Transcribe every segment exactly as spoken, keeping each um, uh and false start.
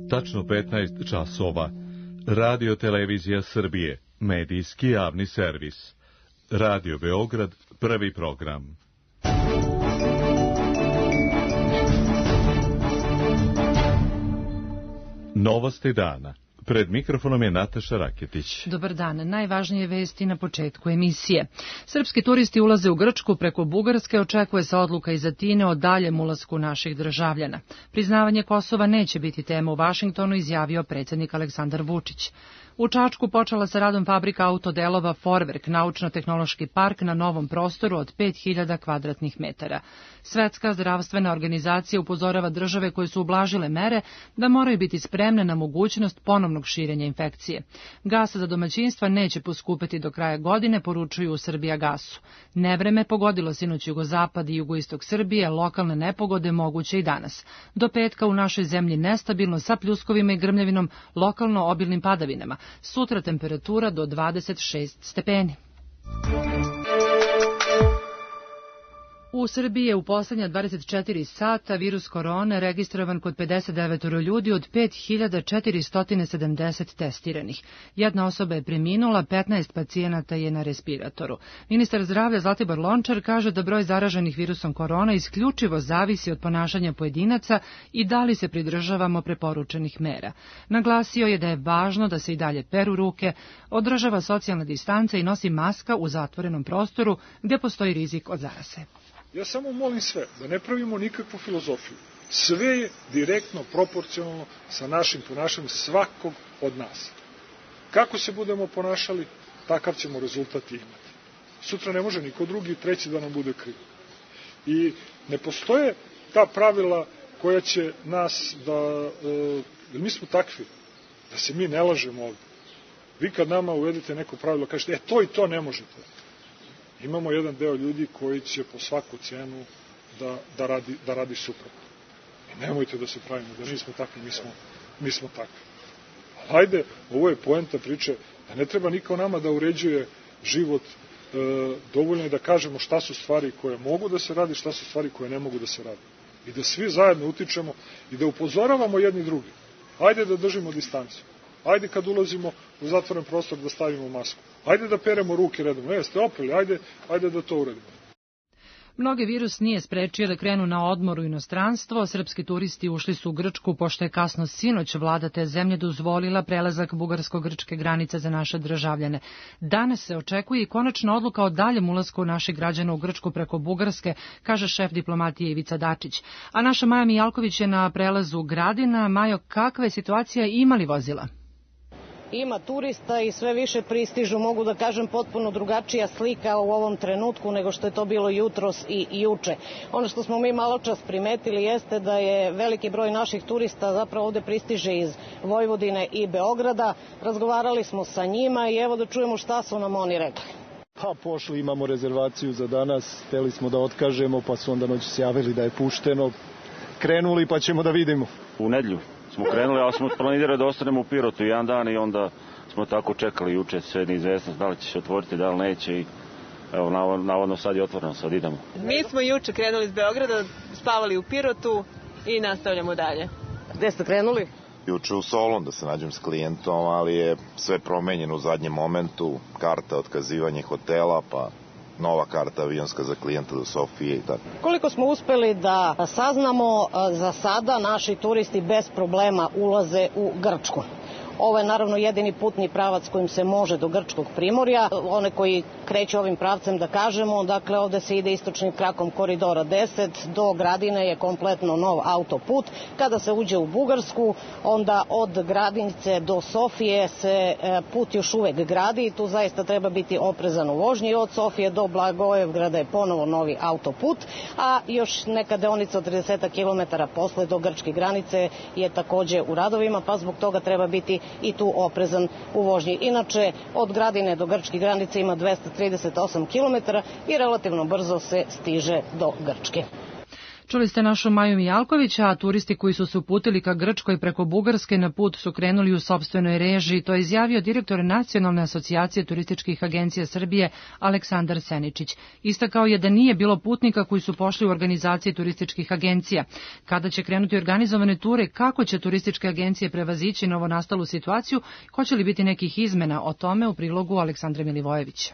Tačno petnaest časova. Radio Televizija Srbije, medijski javni servis. Radio Beograd, prvi program. Novosti dana. Pred mikrofonom je Nataša Raketić. Dobar dan. Najvažnije vesti na početku emisije. Srpski turisti ulaze u Grčku preko Bugarske, očekuje se odluka iz Atine o daljem ulasku naših državljana. Priznavanje Kosova neće biti tema u Vašingtonu, izjavio predsjednik Aleksandar Vučić. U Čačku počela sa radom fabrika autodelova Forverk, naučno-tehnološki park na novom prostoru od pet hiljada kvadratnih metara. Svetska zdravstvena organizacija upozorava države koje su ublažile mere da moraju biti spremne na mogućnost ponovnog širenja infekcije. Gas za domaćinstva neće poskupeti do kraja godine, poručuju u Srbijagasu. Nevreme pogodilo sinoć jugozapad i jugoistok Srbije, lokalne nepogode moguće i danas. Do petka u našoj zemlji nestabilno sa pljuskovima i grmljavinom, lokalno obilnim padavinama. Sutra temperatura do dvadeset šest stepeni. U Srbiji je u poslednja dvadeset četiri sata virus korone registrovan kod pedeset devet ljudi od pet hiljada četiristo sedamdeset testiranih. Jedna osoba je preminula, petnaest pacijenata je na respiratoru. Ministar zdravlja Zlatibor Lončar kaže da broj zaraženih virusom korona isključivo zavisi od ponašanja pojedinaca i da li se pridržavamo preporučenih mera. Naglasio je da je važno da se i dalje peru ruke, održava socijalna distanca i nosi maska u zatvorenom prostoru gdje postoji rizik od zaraze. Ja samo molim sve da ne pravimo nikakvu filozofiju. Sve je direktno proporcionalno sa našim ponašanjem svakog od nas. Kako se budemo ponašali, takav ćemo rezultat imati. Sutra ne može niko drugi, treći da nam bude kriv. I ne postoje ta pravila koja će nas da... E, jer mi smo takvi, da se mi ne lažemo ovdje. Vi kad nama uvedete neko pravilo, kažete, e to i to ne možete. Imamo jedan deo ljudi koji će po svaku cenu da, da, radi, da radi suprotno. I nemojte da se pravimo da nismo takvi, mi smo, mi smo takvi. Ali hajde, ovo je poenta priče, da ne treba niko nama da uređuje život, e, dovoljno je da kažemo šta su stvari koje mogu da se radi, šta su stvari koje ne mogu da se radi. I da svi zajedno utičemo i da upozoravamo jedni drugi. Hajde da držimo distancu. Ajde kad ulazimo u zatvoren prostor da stavimo masku. Ajde da peremo ruke redom. Ne, ste opeli, ajde, ajde da to uradimo. Mnoge virus nije sprečio da krenu na odmor u inostranstvo. Srpski turisti ušli su u Grčku pošto je kasno sinoć vlada te zemlje dozvolila prelazak bugarsko-grčke granice za naše državljane. Danas se očekuje i konačna odluka o daljem ulasku naših građana u Grčku preko Bugarske, kaže šef diplomatije Ivica Dačić. A naša Maja Mijalković je na prelazu Gradina. Majo, kakva je situacija i ima li vozila? Ima turista i sve više pristižu, mogu da kažem, potpuno drugačija slika u ovom trenutku nego što je to bilo jutros i juče. Ono što smo mi malo čas primetili jeste da je veliki broj naših turista zapravo ovde pristiže iz Vojvodine i Beograda. Razgovarali smo sa njima i evo da čujemo šta su nam oni rekli. Pa pošli, imamo rezervaciju za danas, hteli smo da otkažemo, pa su onda noći se javili da je pušteno. Krenuli pa ćemo da vidimo. U nedjelju smo krenuli, ali smo planirali da ostanemo u Pirotu jedan dan i onda smo tako čekali juče sve neizvesnost da li će se otvoriti, da li neće i evo, navodno sad je otvoreno, sad idemo. Mi smo juče krenuli iz Beograda, spavali u Pirotu i nastavljamo dalje. Gde ste krenuli? Juče u Solun da se nađem s klijentom, ali je sve promenjeno u zadnjem momentu, karta, otkazivanje hotela, pa nova karta avionska za klijenta do Sofije i tako. Koliko smo uspeli da saznamo, za sada naši turisti bez problema ulaze u Grčku. Ovo je naravno jedini putni pravac kojim se može do Grčkog primorja. One koji kreću ovim pravcem da kažemo, dakle ovde se ide istočnim krakom koridora deset, do Gradine je kompletno nov autoput. Kada se uđe u Bugarsku, onda od Gradinice do Sofije se put još uvek gradi i tu zaista treba biti oprezan u vožnji. Od Sofije do Blagojevgrada je ponovo novi autoput, a još neka deonica od trideset kilometara posle do grčke granice je takođe u radovima, pa zbog toga treba biti i tu oprezan u vožnji. Inače, od Gradine do grčke granice ima dvesta trideset osam kilometara i relativno brzo se stiže do Grčke. Čuli ste našu Maju Mijalković, a turisti koji su se uputili ka Grčkoj preko Bugarske na put su krenuli u sopstvenoj režiji. To je izjavio direktor Nacionalne asocijacije turističkih agencija Srbije Aleksandar Seničić. Istakao je da nije bilo putnika koji su pošli u organizacije turističkih agencija. Kada će krenuti organizovane ture, kako će turističke agencije prevazići novonastalu situaciju, hoće li biti nekih izmena, o tome u prilogu Aleksandra Milivojevića.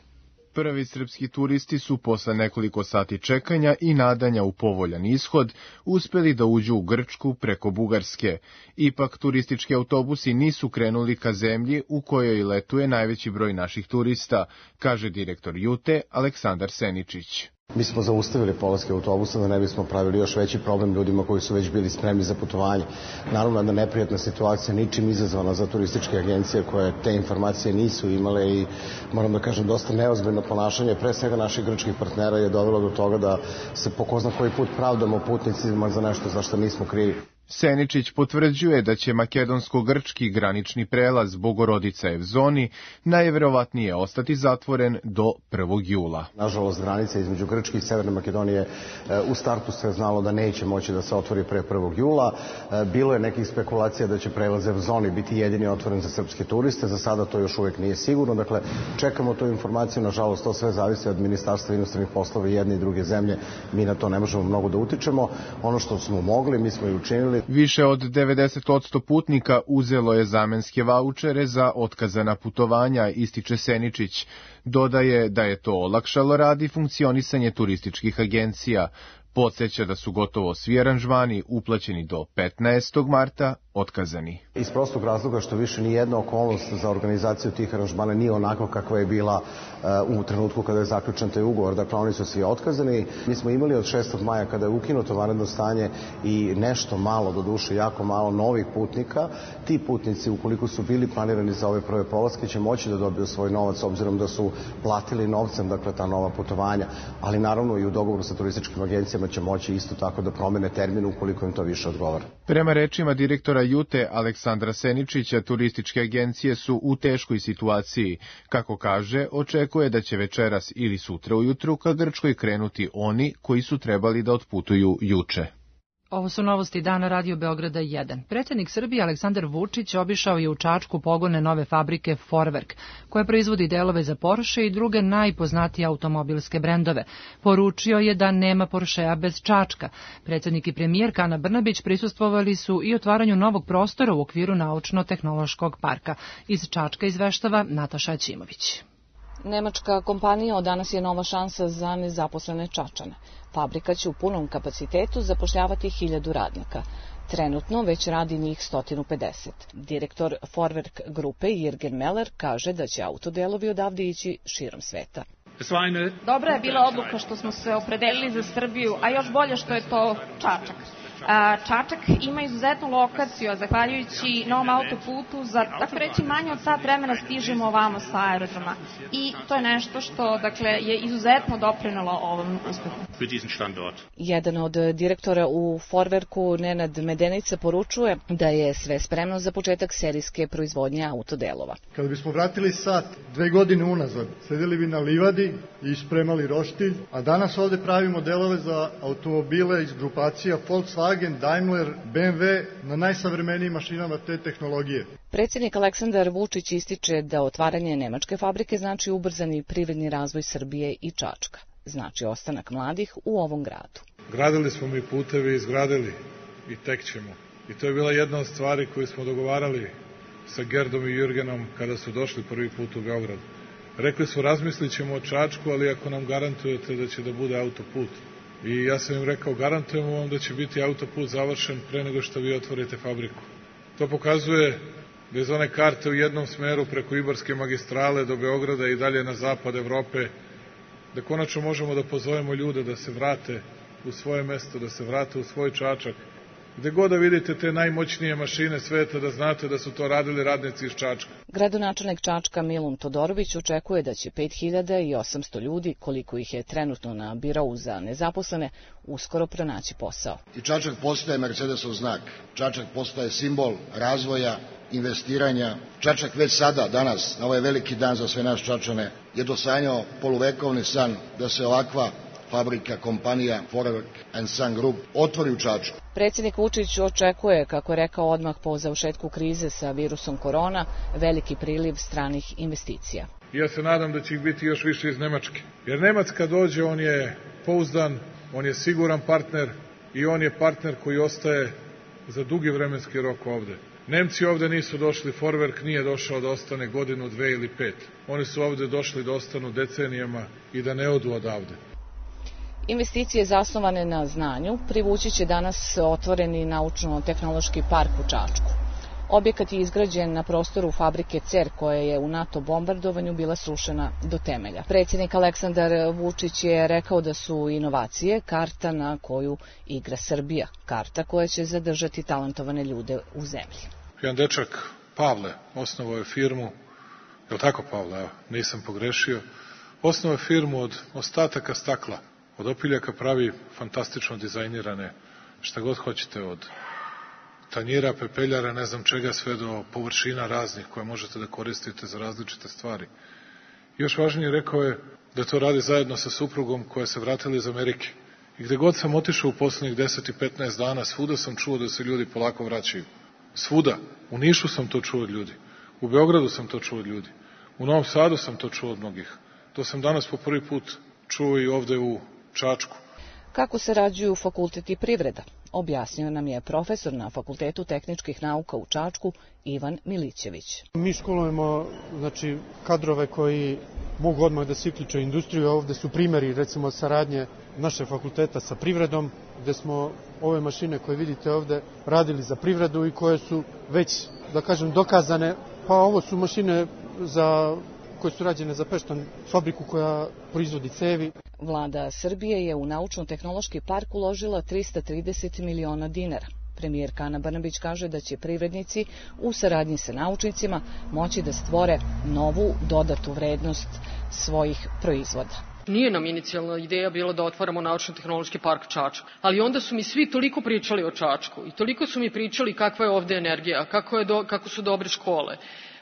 Prvi srpski turisti su posle nekoliko sati čekanja i nadanja u povoljan ishod uspeli da uđu u Grčku preko Bugarske. Ipak turistički autobusi nisu krenuli ka zemlji u kojoj letuje najveći broj naših turista, kaže direktor Jute Aleksandar Seničić. Mi smo zaustavili polaske autobusa da ne bismo pravili još veći problem ljudima koji su već bili spremni za putovanje. Naravno, jedna neprijatna situacija, ničim izazvana za turističke agencije koje te informacije nisu imale i, moram da kažem, dosta neozbiljno ponašanje, pre svega naših grčkih partnera je dovelo do toga da se po ko zna koji put pravdamo putnicima za nešto za što nismo krivi. Seničić potvrđuje da će makedonsko-grčki granični prelaz Bogorodica-Evzoni najverovatnije ostati zatvoren do prvog jula. Nažalost, granica između Grčke i Severne Makedonije u startu se znalo da neće moći da se otvori pre prvog jula. Bilo je nekih spekulacija da će prelaz Evzoni biti jedini otvoren za srpske turiste. Za sada to još uvek nije sigurno. Dakle, čekamo tu informaciju. Nažalost, to sve zavisi od Ministarstva inostranih poslova jedne i druge zemlje. Mi na to ne možemo mnogo da utičemo. Ono što smo mogli, mi smo i učinili. Više od devedeset posto putnika uzelo je zamenske vaučere za otkazana putovanja, ističe Seničić. Dodaje da je to olakšalo rad i funkcionisanje turističkih agencija. Podsjeća da su gotovo svi aranžmani uplaćeni do petnaestog marta otkazani. Iz prostog razloga što više ni jedna okolnost za organizaciju tih aranžmana nije onako kakva je bila uh, u trenutku kada je zaključen taj ugovor. Dakle, oni su svi otkazani. Mi smo imali od šestog maja kada je ukinuto vanredno stanje i nešto malo, do duše jako malo novih putnika. Ti putnici, ukoliko su bili planirani za ove prve polaske, će moći da dobiju svoj novac, obzirom da su platili novcem, dakle, ta nova putovanja. Ali naravno i u dogovoru sa turističkim agencijama će moći isto tako da promene termin ukoliko im to više odgovara. Prema rečima direktora Jute Aleksandra Seničića, turističke agencije su u teškoj situaciji. Kako kaže, očekuje da će večeras ili sutra ujutru ka Grčkoj krenuti oni koji su trebali da otputuju juče. Ovo su novosti dana Radio Beograda jedan. Predsjednik Srbije Aleksandar Vučić obišao je u Čačku pogone nove fabrike Forwerk, koja proizvodi delove za Porsche i druge najpoznatije automobilske brendove. Poručio je da nema Porschea bez Čačka. Predsjednik i premijerka Ana Brnabić prisustvovali su i otvaranju novog prostora u okviru Naučno-tehnološkog parka. Iz Čačka izveštava Nataša Ćimović. Nemačka kompanija od danas je nova šansa za nezaposlene Čačane. Fabrika će u punom kapacitetu zapošljavati hiljadu radnika. Trenutno već radi njih sto pedeset. Direktor Forwerk grupe Jürgen Meller kaže da će autodelovi odavde ići širom sveta. Dobra je bila odluka što smo se opredelili za Srbiju, a još bolje što je to Čačak. Čačak ima izuzetnu lokaciju, a zahvaljujući novom autoputu, za, tako reći, manje od sat vremena stižemo ovamo sa aerodroma. I to je nešto što, dakle, je izuzetno doprinelo ovom uspehu. Jedan od direktora u Forwerku, Nenad Medenica, poručuje da je sve spremno za početak serijske proizvodnje autodelova. Kada bismo vratili sat, dve godine unazad, sedeli bi na livadi i spremali roštilj, a danas ovde pravimo delove za automobile iz grupacija Volkswagen, Daimler, B M W na najsavremenijim mašinama te tehnologije. Predsjednik Aleksandar Vučić ističe da otvaranje nemačke fabrike znači ubrzani privredni razvoj Srbije i Čačka. Znači ostanak mladih u ovom gradu. Gradili smo mi putevi, izgradili i tek ćemo. I to je bila jedna od stvari koju smo dogovarali sa Gerdom i Jurgenom kada su došli prvi put u Beograd. Rekli su, razmislit ćemo o Čačku, ali ako nam garantujete da će da bude autoput. I ja sam im rekao, garantujemo vam da će biti autoput završen pre nego što vi otvorite fabriku. To pokazuje da iz one karte u jednom smeru preko Ibarske magistrale do Beograda i dalje na zapad Evrope, da konačno možemo da pozovemo ljude da se vrate u svoje mesto, da se vrate u svoj Čačak. Gde god da vidite te najmoćnije mašine sveta, da znate da su to radili radnici iz Čačka. Gradonačelnik Čačka Milun Todorović očekuje da će pet hiljada osamsto ljudi, koliko ih je trenutno na birou za nezaposlene, uskoro pronaći posao. I Čačak postaje Mercedesov znak. Čačak postaje simbol razvoja, investiranja. Čačak već sada, danas, na ovaj veliki dan za sve nas Čačane, je dosanjao poluvekovni san da se ovakva fabrika, kompanija Forwerk and Sun Group otvori u Čačku. Predsjednik Vučić očekuje, kako je rekao odmah po završetku krize sa virusom korona, veliki priliv stranih investicija. Ja se nadam da će ih biti još više iz Nemačke. Jer Nemac kad dođe, on je pouzdan, on je siguran partner i on je partner koji ostaje za dugi vremenski rok ovde. Nemci ovde nisu došli, Forwerk nije došao da ostane godinu, dve ili pet. Oni su ovde došli da ostanu decenijama i da ne odu odavde. Investicije zasnovane na znanju privući će danas otvoreni naučno-tehnološki park u Čačku. Objekat je izgrađen na prostoru fabrike C E R koja je u NATO bombardovanju bila srušena do temelja. Predsjednik Aleksandar Vučić je rekao da su inovacije karta na koju igra Srbija, karta koja će zadržati talentovane ljude u zemlji. Jedan dečak, Pavle, osnovao je firmu, je li tako Pavle, evo, nisam pogrešio, osnovao je firmu od ostataka stakla, od opiljaka pravi fantastično dizajnirane, šta god hoćete, od tanjira, pepeljara, ne znam čega, sve do površina raznih koje možete da koristite za različite stvari. Još važnije, rekao je da to radi zajedno sa suprugom koja se vratila iz Amerike. I gde god sam otišao u poslednjih deset i petnaest dana, svuda sam čuo da se ljudi polako vraćaju. Svuda. U Nišu sam to čuo od ljudi. U Beogradu sam to čuo od ljudi. U Novom Sadu sam to čuo od mnogih. To sam danas po prvi put čuo i ovde u Čačku. Kako sarađuju fakultet i privreda, objasnio nam je profesor na Fakultetu tehničkih nauka u Čačku Ivan Milićević. Mi školujemo znači, kadrove koji mogu odmah da se uključe u industriju. Ovde su primjeri recimo saradnje naše fakulteta sa privredom, gde smo ove mašine koje vidite ovde radili za privredu i koje su već, da kažem, dokazane. Pa ovo su mašine za koje su rađene za Peštan, fabriku koja proizvodi cevi. Vlada Srbije je u naučno-tehnološki park uložila trista trideset miliona dinara. Premijerka Ana Brnabić kaže da će privrednici u saradnji sa naučnicima moći da stvore novu dodatu vrednost svojih proizvoda. Nije nam inicijalna ideja bila da otvaramo naučno-tehnološki park Čačak, ali onda su mi svi toliko pričali o Čačku i toliko su mi pričali kakva je ovde energija, kako, je do, kako su dobre škole,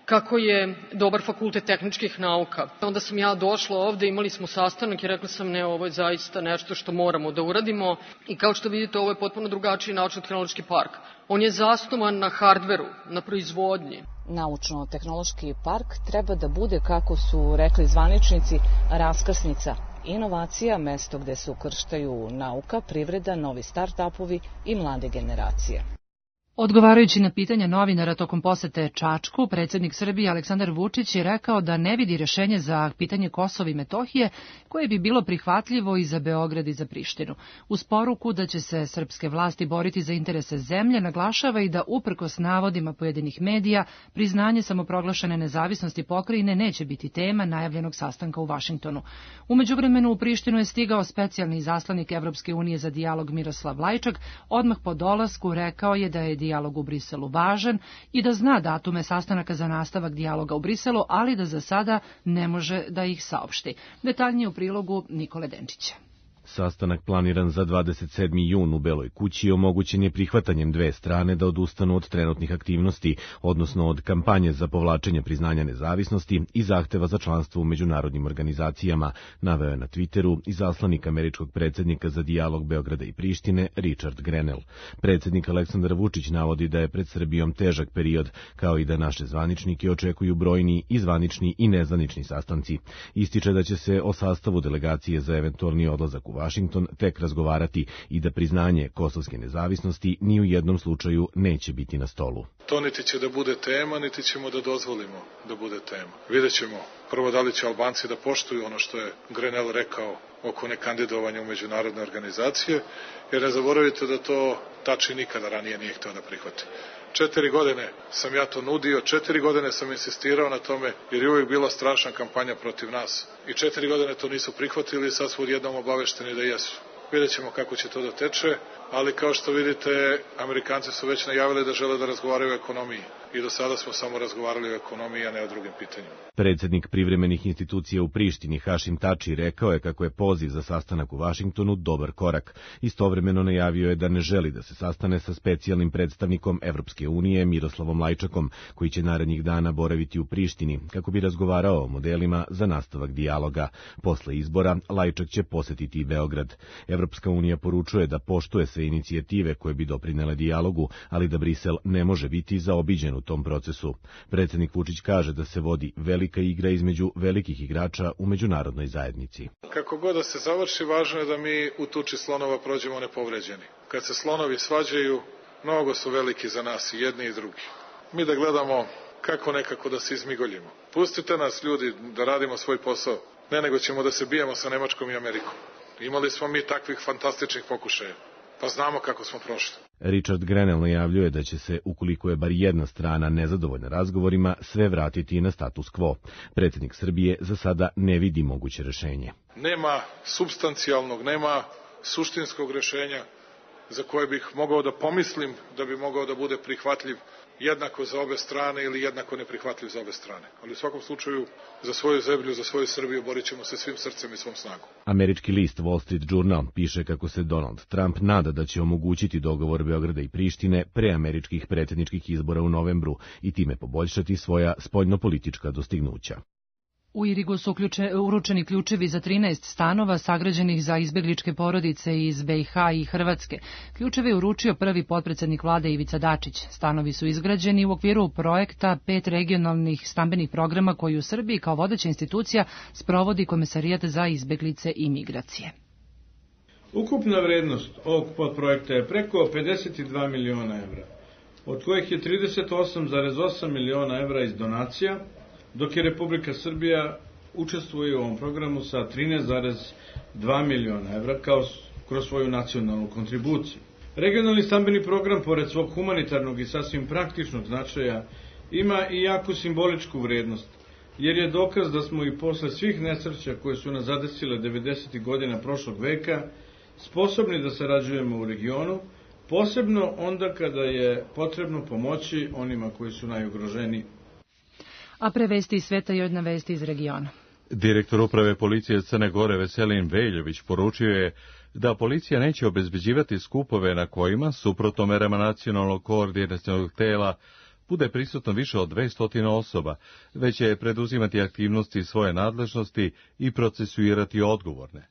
kako je dobar fakultet tehničkih nauka. Onda sam ja došla ovde, imali smo sastanak i rekla sam ne, ovo je zaista nešto što moramo da uradimo i kao što vidite ovo je potpuno drugačiji naučno-tehnološki park. On je zasnovan na hardveru, na proizvodnji. Naučno-tehnološki park treba da bude, kako su rekli zvaničnici, raskrsnica inovacija, mesto gde se ukrštaju nauka, privreda, novi start-upovi i mlade generacije. Odgovarajući na pitanja novinara tokom posete Čačku, predsjednik Srbije Aleksandar Vučić je rekao da ne vidi rešenje za pitanje Kosova i Metohije koje bi bilo prihvatljivo i za Beograd i za Prištinu. Uz poruku da će se srpske vlasti boriti za interese zemlje, naglašava i da uprkos navodima pojedinih medija, priznanje samoproglašene nezavisnosti pokrajine neće biti tema najavljenog sastanka u Vašingtonu. U međuvremenu u Prištinu je stigao specijalni izaslanik Evropske unije za dijalog Miroslav Lajčak, odmah po dolasku rekao je da je dijalog u Briselu važan i da zna datume sastanaka za nastavak dijaloga u Briselu, ali da za sada ne može da ih saopšti. Detaljnije u prilogu Nikole Denčića. Sastanak planiran za dvadeset sedmi jun u Beloj kući omogućen je prihvatanjem dve strane da odustanu od trenutnih aktivnosti, odnosno od kampanje za povlačenje priznanja nezavisnosti i zahteva za članstvo u međunarodnim organizacijama, naveo je na Twitteru izaslanik američkog predsjednika za dijalog Beograda i Prištine Richard Grenell. Predsjednik Aleksandar Vučić navodi da je pred Srbijom težak period, kao i da naše zvaničnike očekuju brojni i zvanični i nezvanični sastanci. Ističe da će se o sastavu delegacije za eventualni odlazak u Vašington tek razgovarati i da priznanje kosovske nezavisnosti ni u jednom slučaju neće biti na stolu. To niti će da bude tema, niti ćemo da dozvolimo da bude tema. Vidjet ćemo prvo da li će Albanci da poštuju ono što je Grenell rekao oko nekandidovanja u međunarodne organizacije, jer ne zaboravite da to Tači nikada ranije nije hteo da prihvati. Četiri godine sam ja to nudio, četiri godine sam insistirao na tome, jer je uvijek bila strašna kampanja protiv nas. I četiri godine to nisu prihvatili i sad su odjednom obavešteni da jesu. Vidjet ćemo kako će to da teče. ali kao što vidite, Amerikanci su već najavili da žele da razgovaraju o ekonomiji. I do sada smo samo razgovarali o ekonomiji, a ne o drugim pitanjima. Predsednik privremenih institucija u Prištini Hašim Tači rekao je kako je poziv za sastanak u Vašingtonu dobar korak. Istovremeno najavio je da ne želi da se sastane sa specijalnim predstavnikom Evropske unije Miroslavom Lajčakom, koji će narednih dana boraviti u Prištini kako bi razgovarao o modelima za nastavak dijaloga. Posle izbora Lajčak će posetiti i Beograd. Evropska unija poručuje da poštuje sve inicijative koje bi doprinele dijalogu, ali da Brisel ne može biti zaobiđen u tom procesu. Predsednik Vučić kaže da se vodi velika igra između velikih igrača u međunarodnoj zajednici. Kako god da se završi, važno je da mi u tuči slonova prođemo nepovređeni. Kad se slonovi svađaju, mnogo su veliki za nas i jedni i drugi. Mi da gledamo kako nekako da se izmigoljimo. Pustite nas, ljudi, da radimo svoj posao. Ne, nego ćemo da se bijemo sa Nemačkom i Amerikom. Imali smo mi takvih fantastičnih pokušaja, pa znamo kako smo prošli. Richard Grenell najavljuje da će se, ukoliko je bar jedna strana nezadovoljna razgovorima, sve vratiti na status quo. Predsednik Srbije za sada ne vidi moguće rešenje. Nema substancijalnog, nema suštinskog rešenja za koje bih mogao da pomislim da bi mogao da bude prihvatljiv jednako za obe strane ili jednako neprihvatljiv za obe strane. Ali u svakom slučaju za svoju zemlju, za svoju Srbiju borit ćemo se svim srcem i svom snagom. Američki list Wall Street Journal piše kako se Donald Trump nada da će omogućiti dogovor Beograda i Prištine pre američkih predsjedničkih izbora u novembru i time poboljšati svoja spoljnopolitička dostignuća. U Irigu su ključe, uručeni ključevi za trinaest stanova sagrađenih za izbegličke porodice iz B i H i Hrvatske. Ključeve je uručio prvi potpredsednik vlade Ivica Dačić. Stanovi su izgrađeni u okviru projekta pet regionalnih stambenih programa koji u Srbiji kao vodeća institucija sprovodi Komesarijat za izbeglice i migracije. Ukupna vrednost ovog podprojekta je preko pedeset dva miliona evra, od kojih je trideset osam zarez osam miliona evra iz donacija, dok je Republika Srbija učestvuje u ovom programu sa trinaest zarez dva miliona evra kao kroz svoju nacionalnu kontribuciju. Regionalni stambeni program, pored svog humanitarnog i sasvim praktičnog značaja, ima i jaku simboličku vrednost, jer je dokaz da smo i posle svih nesreća koje su nas zadesile devedesetih godina prošlog veka sposobni da sarađujemo u regionu, posebno onda kada je potrebno pomoći onima koji su najugroženiji. A pre vesti iz sveta i jedna vesti iz regiona. Direktor uprave policije Crne Gore Veselin Veljović poručio je da policija neće obezbeđivati skupove na kojima, suprotno merama nacionalnog koordinacionog tela, bude prisutno više od dvesta osoba, već će preduzimati aktivnosti svoje nadležnosti i procesuirati odgovorne.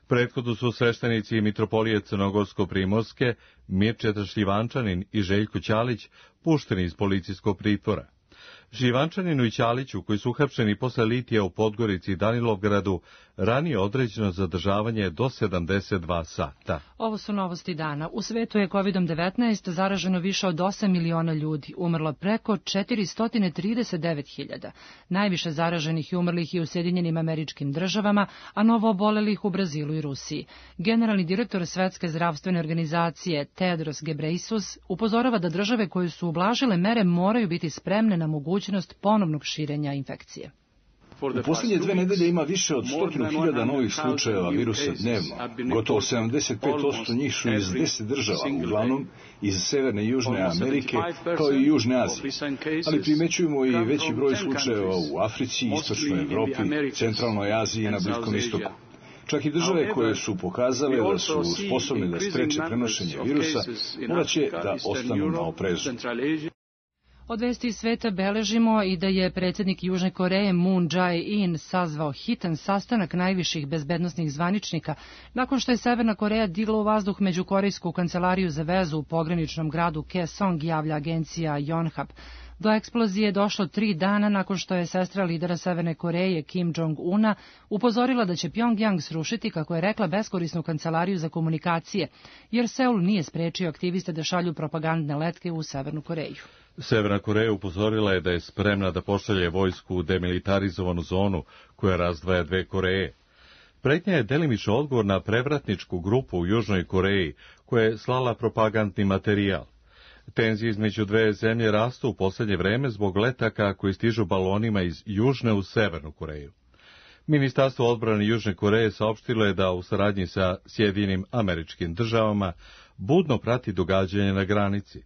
Prethodno su sveštenici mitropolije Crnogorsko-Primorske, Mirčeta Šljivančanin i Željko Ćalić pušteni iz policijskog pritvora. Šljivančaninu i Ćaliću, koji su uhapšeni posle litija u Podgorici i Danilovgradu, ranije određeno zadržavanje do sedamdeset dva sata. Ovo su novosti dana. U svetu je kovid devetnaest zaraženo više od osam miliona ljudi, umrlo preko četiristo trideset devet hiljada. Najviše zaraženih i umrlih je u Sjedinjenim Američkim Državama, a novo obolelih u Brazilu i Rusiji. Generalni direktor Svetske zdravstvene organizacije Tedros Ghebreyesus upozorava da države koje su ublažile mere moraju biti spremne na mogućnost ponovnog širenja infekcije. U posljednje dve nedelje ima više od stotinu hiljada novih slučajeva virusa dnevno. Gotovo sedamdeset pet posto njih su iz deset država, uglavnom iz Severne i Južne Amerike, kao i Južne Azije. Ali primećujemo i veći broj slučajeva u Africi, Istočnoj Evropi, Centralnoj Aziji i na Bliskom istoku. Čak i države koje su pokazale da su sposobne da spreče prenošenje virusa, morat će da ostanu na oprezu. Od vesti iz sveta beležimo i da je predsjednik Južne Koreje Moon Jae-in sazvao hitan sastanak najviših bezbednosnih zvaničnika nakon što je Severna Koreja digla u vazduh međukorejsku kancelariju za vezu u pograničnom gradu Kaesong, javlja agencija Yonhap. Do eksplozije je došlo tri dana nakon što je sestra lidera Severne Koreje Kim Jong-una upozorila da će Pjongjang srušiti, kako je rekla, beskorisnu kancelariju za komunikacije, jer Seul nije sprečio aktiviste da šalju propagandne letke u Severnu Koreju. Severna Koreja upozorila je da je spremna da pošalje vojsku u demilitarizovanu zonu koja razdvaja dve Koreje. Pretnja je delimično odgovor na prevratničku grupu u Južnoj Koreji koja je slala propagandni materijal. Tenzije između dve zemlje rastu u posljednje vreme zbog letaka koji stižu balonima iz Južne u Severnu Koreju. Ministarstvo odbrane Južne Koreje saopštilo je da u saradnji sa Sjedinjenim Američkim Državama budno prati događanje na granici.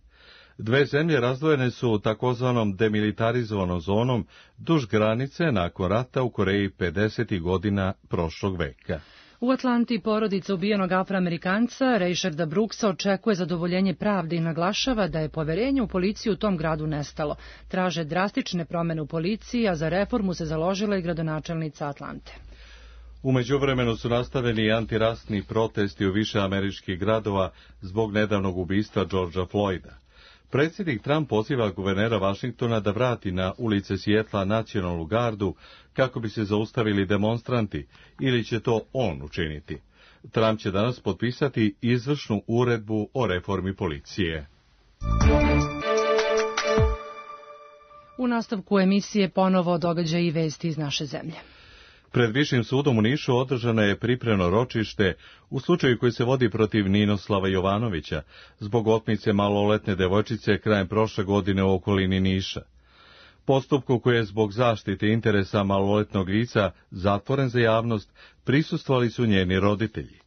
Dve zemlje razdvojene su takozvanom demilitarizovanom zonom duž granice nakon rata u Koreji pedesetih godina prošlog veka. U Atlanti porodica ubijenog Afroamerikanca Raysharda Brooksa očekuje zadovoljenje pravde i naglašava da je poverenje u policiju u tom gradu nestalo. Traže drastične promene u policiji, a za reformu se založila i gradonačelnica Atlante. U međuvremenu su nastavljeni antirasni protesti u više američkih gradova zbog nedavnog ubistva Georgea Floyda. Predsjednik Trump poziva guvernera Vašingtona da vrati na ulice Sijetla nacionalnu gardu kako bi se zaustavili demonstranti, ili će to on učiniti. Trump će danas potpisati izvršnu uredbu o reformi policije. U nastavku emisije ponovo događaji i vesti iz naše zemlje. Pred Višim sudom u Nišu održano je pripremno ročište u slučaju koji se vodi protiv Ninoslava Jovanovića zbog otmice maloletne devojčice krajem prošle godine u okolini Niša. Postupku koji je zbog zaštite interesa maloletnog lica zatvoren za javnost prisustvovali su njeni roditelji.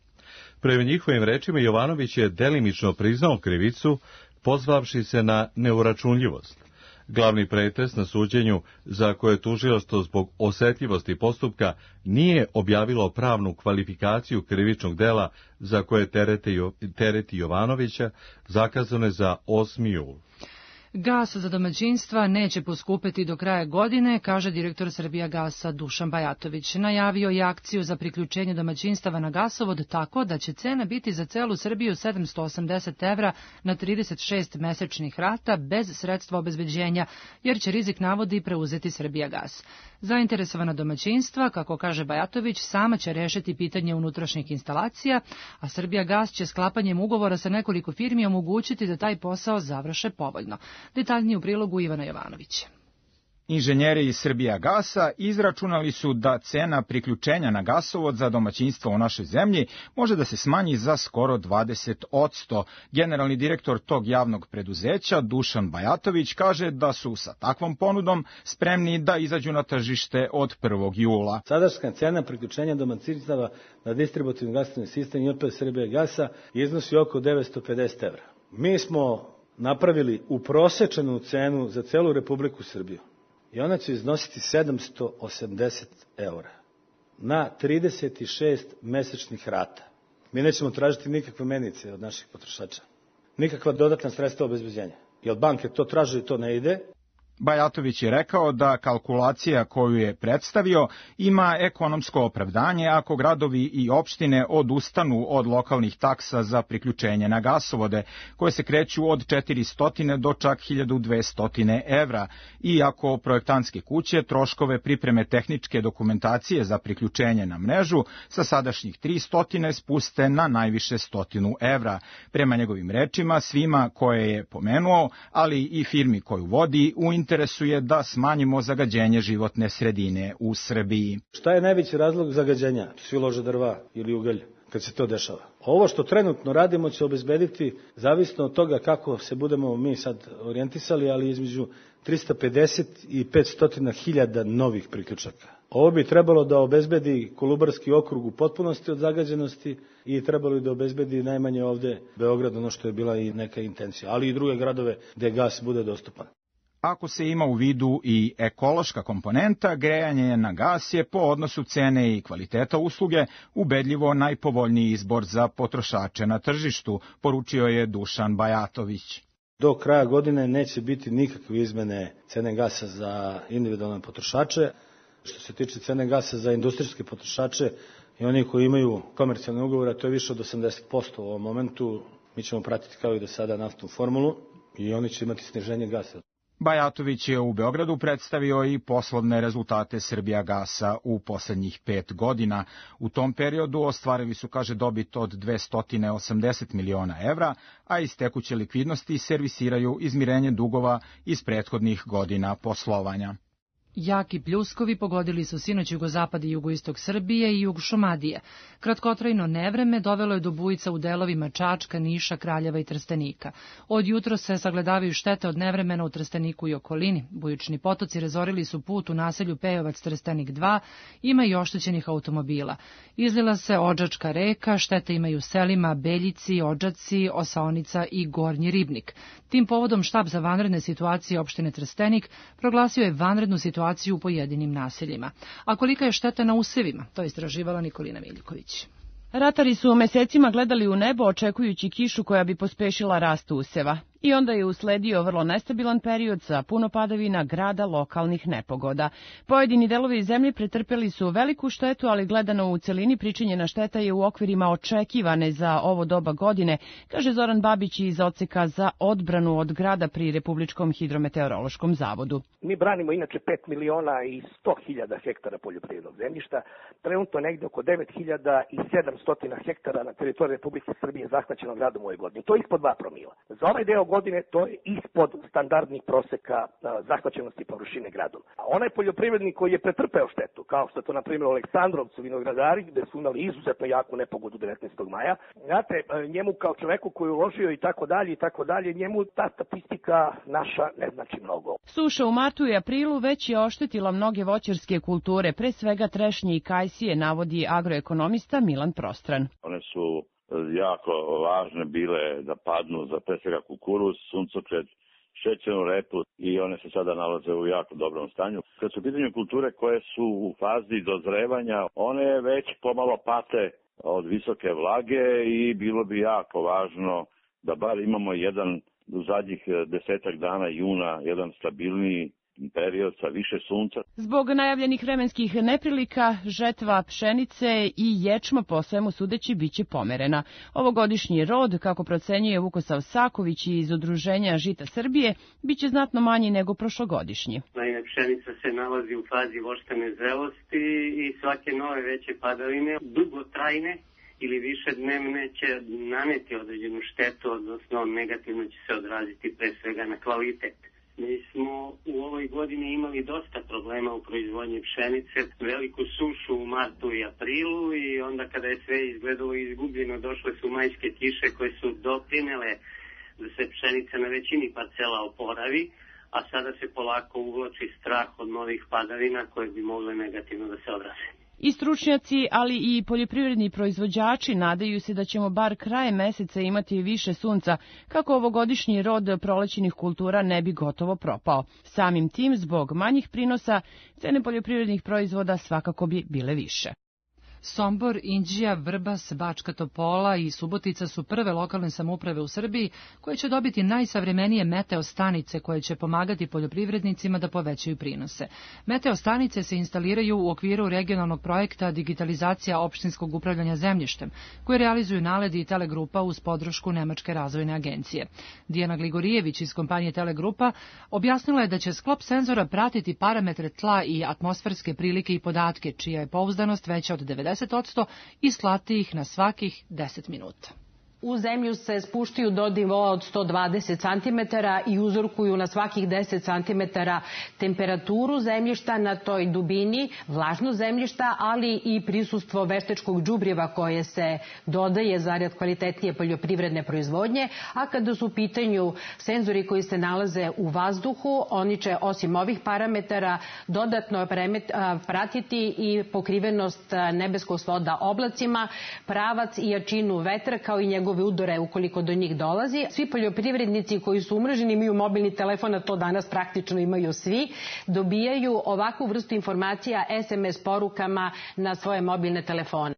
Prema njihovim rečima Jovanović je delimično priznao krivicu, pozvavši se na neuračunljivost. Glavni pretres na suđenju, za koje tužilaštvo zbog osetljivosti postupka nije objavilo pravnu kvalifikaciju krivičnog dela za koje tereti Jovanovića, zakazano je za osmi jul. Gas za domaćinstva neće poskupeti do kraja godine, kaže direktor Srbijagasa Dušan Bajatović. Najavio je akciju za priključenje domaćinstava na gasovod tako da će cena biti za celu Srbiju sedamsto osamdeset evra na trideset šest mesečnih rata bez sredstva obezbeđenja, jer će rizik navodi preuzeti Srbijagas. Zainteresovana domaćinstva, kako kaže Bajatović, sama će rešiti pitanje unutrašnjih instalacija, a Srbijagas će sklapanjem ugovora sa nekoliko firmi omogućiti da taj posao završe povoljno. Detaljnije u prilogu Ivana Jovanovića. Inženjeri iz Srbijagasa izračunali su da cena priključenja na gasovod za domaćinstvo u našoj zemlji može da se smanji za skoro dvadeset posto. Generalni direktor tog javnog preduzeća, Dušan Bajatović, kaže da su sa takvom ponudom spremni da izađu na tržište od prvog jula. Sadašnja cena priključenja domaćinstava na distributivni gasni sistem I P Srbijagasa iznosi oko devetsto pedeset evra. Mi smo napravili uprosečenu cenu za celu Republiku Srbiju i ona će iznositi sedamsto osamdeset evra na trideset šest mesečnih rata. Mi nećemo tražiti nikakve menice od naših potrošača, nikakva dodatna sredstva obezbeđenja, jer banke to traže i to ne ide. Bajatović je rekao da kalkulacija koju je predstavio ima ekonomsko opravdanje ako gradovi i opštine odustanu od lokalnih taksa za priključenje na gasovode, koje se kreću od četiristo do čak hiljadu dvesta evra, i ako projektantske kuće troškove pripreme tehničke dokumentacije za priključenje na mrežu sa sadašnjih tristo spuste na najviše stotinu evra. Prema njegovim rečima, svima koje je pomenuo, ali i firmi koju vodi, u interesu je da smanjimo zagađenje životne sredine u Srbiji. Šta je najveći razlog zagađenja? Svi lože drva ili ugalj kad se to dešava. Ovo što trenutno radimo će obezbediti, zavisno od toga kako se budemo mi sad orijentisali, ali između trista pedeset i petsto hiljada novih priključaka. Ovo bi trebalo da obezbedi Kolubarski okrug u potpunosti od zagađenosti i trebalo da obezbedi najmanje ovde Beograd, ono što je bila i neka intencija, ali i druge gradove gde gas bude dostupan. Ako se ima u vidu i ekološka komponenta, grejanje na gas je po odnosu cene i kvaliteta usluge ubedljivo najpovoljniji izbor za potrošače na tržištu, poručio je Dušan Bajatović. Do kraja godine neće biti nikakve izmene cene gasa za individualne potrošače. Što se tiče cene gasa za industrijske potrošače i oni koji imaju komercijalne ugovore, to je više od osamdeset posto u ovom momentu. Mi ćemo pratiti kao i do sada naftnu formulu i oni će imati sniženje gasa. Bajatović je u Beogradu predstavio i poslovne rezultate Srbijagasa u poslednjih pet godina. U tom periodu ostvarili su, kaže, dobit od dvesta osamdeset miliona evra, a iz tekuće likvidnosti servisiraju izmirenje dugova iz prethodnih godina poslovanja. Jaki pljuskovi pogodili su sinoć jugozapad i jugoistok Srbije i jug Šumadije. Kratkotrajno nevreme dovelo je do bujica u delovima Čačka, Niša, Kraljeva i Trstenika. Od jutro se sagledavaju štete od nevremena u Trsteniku i okolini. Bujični potoci razorili su put u naselju Pejovac Trstenik dva, ima i oštećenih automobila. Izlila se Odžačka reka, štete imaju selima Beljici, Odžaci, Osaonica i Gornji Ribnik. Tim povodom štab za vanredne situacije opštine Trstenik proglasio je vanrednu situaciju u pojedinim naseljima. A kolika je šteta na usevima, to je istraživala Nikolina Miljković. Ratari su mesecima gledali u nebo očekujući kišu koja bi pospešila rast useva. I onda je usledio vrlo nestabilan period sa puno padavina, grada, lokalnih nepogoda. Pojedini delovi zemlje pretrpeli su veliku štetu, ali gledano u celini pričinjena šteta je u okvirima očekivane za ovo doba godine, kaže Zoran Babić iz odseka za odbranu od grada pri Republičkom hidrometeorološkom zavodu. Mi branimo inače pet miliona i sto hiljada hektara poljoprivrednog zemljišta. Trenutno negde oko devet hiljada i sedamsto hektara na teritoriji Republike Srbije zahvaćeno gradom u ovoj godini. To je ispod dva promila. Za ovaj deo godine to je ispod standardnih proseka zahvaćenosti površine gradom. A onaj poljoprivrednik koji je pretrpeo štetu, kao što je to na primjer u Aleksandrovcu vinogradari, gde su imali izuzetno jaku nepogodu devetnaestog maja, znate, njemu kao čoveku koji je uložio i tako dalje i tako dalje, njemu ta statistika naša ne znači mnogo. Suša u martu i aprilu već je oštetila mnoge voćarske kulture, pre svega trešnje i kajsije, navodi agroekonomista Milan Prostran. One su jako važne bile da padnu za pre svega kukuruz, suncokret, šećernu repu i one se sada nalaze u jako dobrom stanju. Kad su pitanje kulture koje su u fazi dozrevanja, one već pomalo pate od visoke vlage i bilo bi jako važno da bar imamo jedan u zadnjih desetak dana juna, jedan stabilniji period sa više sunca. Zbog najavljenih vremenskih neprilika, žetva pšenice i ječma po svemu sudeći biće pomerena. Ovogodišnji rod, kako procenjuje Vukosav Saković iz Udruženja Žita Srbije, biće znatno manji nego prošlogodišnji. Naime, pšenica se nalazi u fazi voštane zrelosti i svake nove veće padavine, dugotrajne ili više dnevne, će naneti određenu štetu, odnosno negativno će se odraziti pre svega na kvalitet. Mi smo u ovoj godini imali dosta problema u proizvodnji pšenice, veliku sušu u martu i aprilu i onda kada je sve izgledalo izgubljeno, došle su majske kiše koje su doprinele da se pšenica na većini parcela oporavi, a sada se polako uvlači strah od novih padavina koje bi mogle negativno da se odraze. I stručnjaci, ali i poljoprivredni proizvođači nadaju se da ćemo bar krajem meseca imati više sunca, kako ovogodišnji rod prolećnih kultura ne bi gotovo propao. Samim tim, zbog manjih prinosa, cene poljoprivrednih proizvoda svakako bi bile više. Sombor, Inđija, Vrbas, Bačka Topola i Subotica su prve lokalne samouprave u Srbiji koje će dobiti najsavremenije meteo stanice koje će pomagati poljoprivrednicima da povećaju prinose. Meteo stanice se instaliraju u okviru regionalnog projekta Digitalizacija opštinskog upravljanja zemljištem, koje realizuju Naledi i Telegrupa uz podršku Nemačke razvojne agencije. Dijana Gligorijević iz kompanije Telegrupa objasnila je da će sklop senzora pratiti parametre tla i atmosferske prilike i podatke, čija je pouzdanost veća od devedeset posto i slati ih na svakih deset minuta. U zemlju se spuštaju do nivoa od sto dvadeset centimetara i uzorkuju na svakih deset centimetara temperaturu zemljišta na toj dubini, vlažnost zemljišta, ali i prisustvo veštečkog đubriva koje se dodaje zarad kvalitetnije poljoprivredne proizvodnje, a kada su u pitanju senzori koji se nalaze u vazduhu, oni će osim ovih parametara dodatno pratiti i pokrivenost nebeskog svoda oblacima, pravac i jačinu vetra kao i njegov udore ukoliko do njih dolazi. Svi poljoprivrednici koji su umreženi imaju mobilni telefon, a to danas praktično imaju svi, dobijaju ovakvu vrstu informacija es em es porukama na svoje mobilne telefone.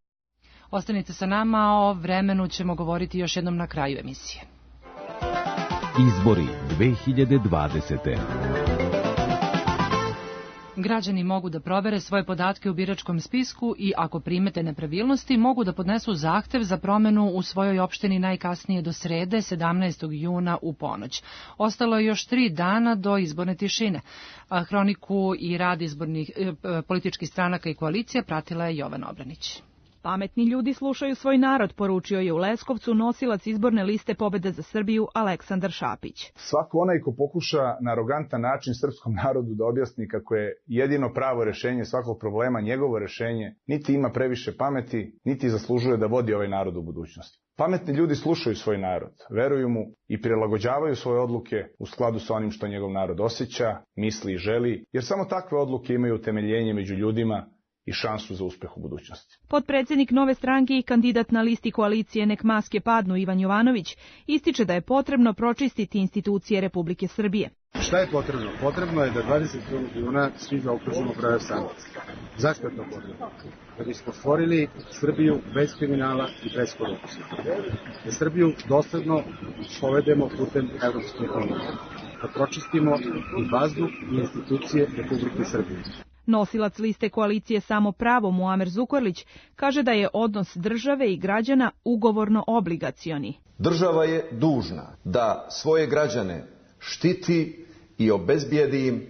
Ostanite sa nama, o vremenu ćemo govoriti još jednom na kraju emisije. Izbori dve hiljade dvadesete. Građani mogu da provere svoje podatke u biračkom spisku i ako primete nepravilnosti mogu da podnesu zahtev za promenu u svojoj opštini najkasnije do srede sedamnaestog juna u ponoć. Ostalo je još tri dana do izborne tišine. Hroniku i rad izbornih političkih stranaka i koalicija pratila je Jovana Obranić. Pametni ljudi slušaju svoj narod, poručio je u Leskovcu nosilac izborne liste Pobeda za Srbiju Aleksandar Šapić. Svako onaj ko pokuša na arogantan način srpskom narodu da objasni kako je jedino pravo rešenje svakog problema njegovo rešenje, niti ima previše pameti, niti zaslužuje da vodi ovaj narod u budućnosti. Pametni ljudi slušaju svoj narod, veruju mu i prilagođavaju svoje odluke u skladu sa onim što njegov narod osjeća, misli i želi, jer samo takve odluke imaju utemeljenje među ljudima i šansu za uspeh u budućnosti. Potpredsednik Nove stranke i kandidat na listi koalicije Nek maske padnu Ivan Jovanović ističe da je potrebno pročistiti institucije Republike Srbije. Šta je potrebno? Potrebno je da dvadeset miliona svi zaokružimo prave sankcije. Zašto je to potrebno? Da bismo stvorili Srbiju bez kriminala i bez korupcije. Da Srbiju dosledno povedemo putem Evropske unije. Da pročistimo i vazduh i institucije Republike Srbije. Nosilac liste koalicije Samo pravo Muamer Zukorlić kaže da je odnos države i građana ugovorno obligacioni. Država je dužna da svoje građane štiti i obezbijedi im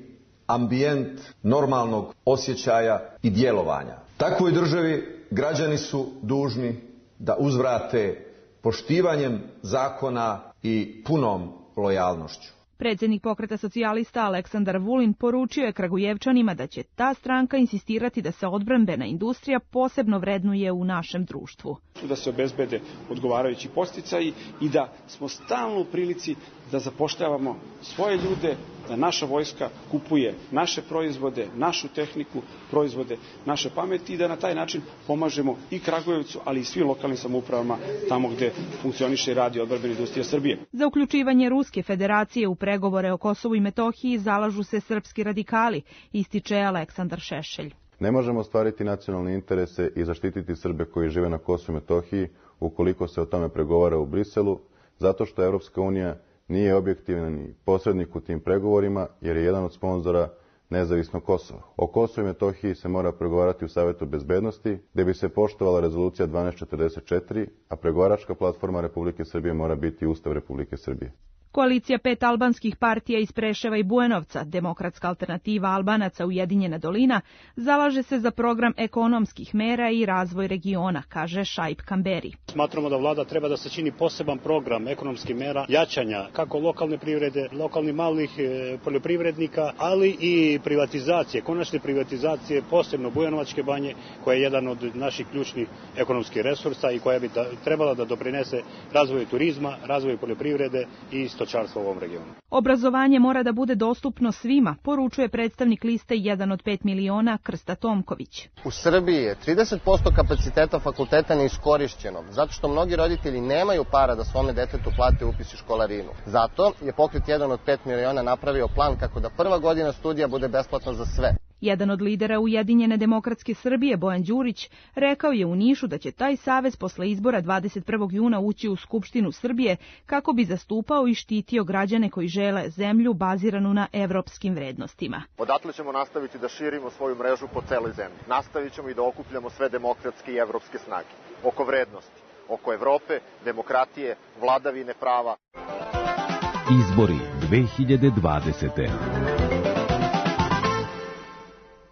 ambijent normalnog osjećaja i djelovanja. Takvoj državi građani su dužni da uzvrate poštivanjem zakona i punom lojalnošću. Predsjednik Pokreta socijalista Aleksandar Vulin poručio je Kragujevčanima da će ta stranka insistirati da se odbrambena industrija posebno vrednuje u našem društvu. Da se obezbede odgovarajući podsticaji i da smo stalno u prilici da zapošljavamo svoje ljude, da naša vojska kupuje naše proizvode, našu tehniku, proizvode naše pameti i da na taj način pomažemo i Kragujevcu, ali i svim lokalnim samoupravama tamo gde funkcioniše i radi odbrambena industrija Srbije. Za uključivanje Ruske federacije u pregovore o Kosovu i Metohiji zalažu se srpski radikali, ističe Aleksandar Šešelj. Ne možemo ostvariti nacionalne interese i zaštititi Srbe koji žive na Kosovu i Metohiji ukoliko se o tome pregovara u Briselu, zato što Evropska unija nije objektivni posrednik u tim pregovorima jer je jedan od sponzora nezavisno Kosovo. O Kosovu i Metohiji se mora pregovarati u Savetu bezbednosti, gde bi se poštovala rezolucija dvanaest četrdeset četiri, a pregovaračka platforma Republike Srbije mora biti Ustav Republike Srbije. Koalicija pet albanskih partija iz Preševa i Bujanovca, Demokratska alternativa Albanaca Ujedinjena dolina, zalaže se za program ekonomskih mera i razvoj regiona, kaže Šaip Kamberi. Smatramo da vlada treba da sačini poseban program ekonomskih mera jačanja kako lokalne privrede, lokalnih malih poljoprivrednika, ali i privatizacije, konačne privatizacije, posebno Bujanovačke banje, koja je jedan od naših ključnih ekonomskih resursa i koja bi da, trebala da doprinese razvoju turizma, razvoju poljoprivrede i stočarstva u ovom regionu. Obrazovanje mora da bude dostupno svima, poručuje predstavnik liste jedan od pet miliona Krsta Tomković. U Srbiji je trideset posto kapaciteta fakulteta neiskorišćeno, zato što mnogi roditelji nemaju para da svome detetu plate upis i školarinu. Zato je Pokret jedan od pet miliona napravio plan kako da prva godina studija bude besplatna za sve. Jedan od lidera Ujedinjene demokratske Srbije, Bojan Đurić, rekao je u Nišu da će taj savez posle izbora dvadeset prvog juna ući u Skupštinu Srbije kako bi zastupao i štitio građane koji žele zemlju baziranu na evropskim vrednostima. Odatle ćemo nastaviti da širimo svoju mrežu po celoj zemlji. Nastavit ćemo i da okupljamo sve demokratske i evropske snage. Oko vrednosti, oko Evrope, demokratije, vladavine prava. Izbori dve hiljade dvadesete.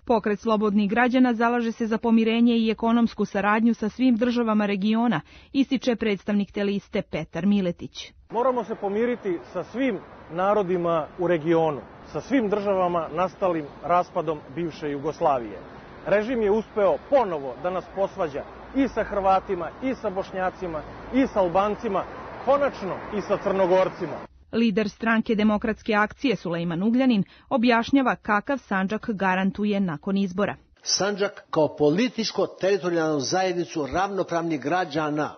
Pokret slobodnih građana zalaže se za pomirenje i ekonomsku saradnju sa svim državama regiona, ističe predstavnik te liste Petar Miletić. Moramo se pomiriti sa svim narodima u regionu, sa svim državama nastalim raspadom bivše Jugoslavije. Režim je uspeo ponovo da nas posvađa i sa Hrvatima, i sa Bošnjacima, i sa Albancima, konačno i sa Crnogorcima. Lider stranke Demokratske akcije Sulejman Ugljanin objašnjava kakav Sandžak garantuje nakon izbora. Sandžak kao političko-teritorijalnu zajednicu ravnopravnih građana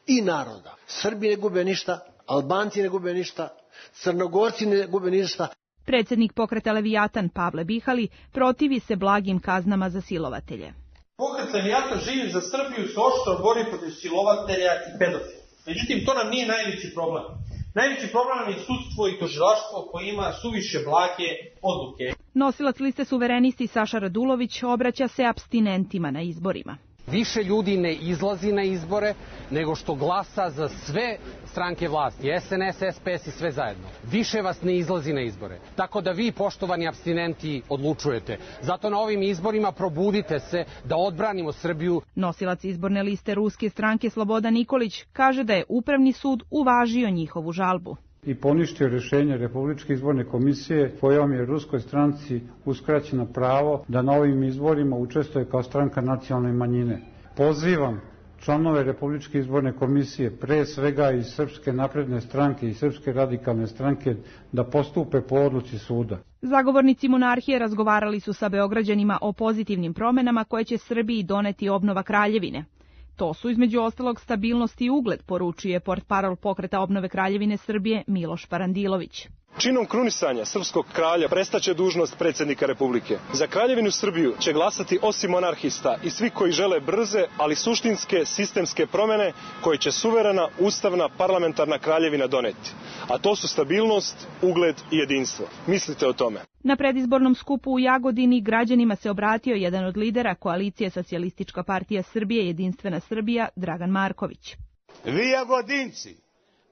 i naroda. Srbi ne gube ništa, Albanci ne gube ništa, Crnogorci ne gube ništa. Predsjednik Pokreta Levijatan Pavle Bihali protivi se blagim kaznama za silovatelje. Pokret Levijatan živi za Srbiju se oštro bori protiv silovatelja i pedofila. Međutim, to nam nije najveći problem. Najveći problem je sudstvo i tužilaštvo koje ima suviše blage odluke. Nosilac liste Suverenisti Saša Radulović obraća se apstinentima na izborima. Više ljudi ne izlazi na izbore nego što glasa za sve stranke vlasti, S N S, S P S i sve zajedno. Više vas ne izlazi na izbore. Tako da vi, poštovani apstinenti, odlučujete. Zato na ovim izborima probudite se da odbranimo Srbiju. Nosilac izborne liste Ruske stranke Slobodan Nikolić kaže da je Upravni sud uvažio njihovu žalbu i poništio rješenje Republičke izborne komisije kojom je ruskoj stranci uskraćeno pravo da na ovim izborima učestvuje kao stranka nacionalne manjine. Pozivam članove Republičke izborne komisije, pre svega iz Srpske napredne stranke i Srpske radikalne stranke, da postupe po odluci suda. Zagovornici monarhije razgovarali su sa Beograđanima o pozitivnim promenama koje će Srbiji doneti obnova Kraljevine. To su između ostalog stabilnost i ugled, poručuje portparol Pokreta obnove Kraljevine Srbije Miloš Parandilović. Činom krunisanja srpskog kralja prestaće dužnost predsjednika Republike. Za Kraljevinu Srbiju će glasati osim monarhista i svi koji žele brze, ali suštinske sistemske promjene koje će suverena, ustavna, parlamentarna kraljevina doneti. A to su stabilnost, ugled i jedinstvo. Mislite o tome. Na predizbornom skupu u Jagodini građanima se obratio jedan od lidera koalicije Socijalistička partija Srbije Jedinstvena Srbija, Dragan Marković. Vi Jagodinci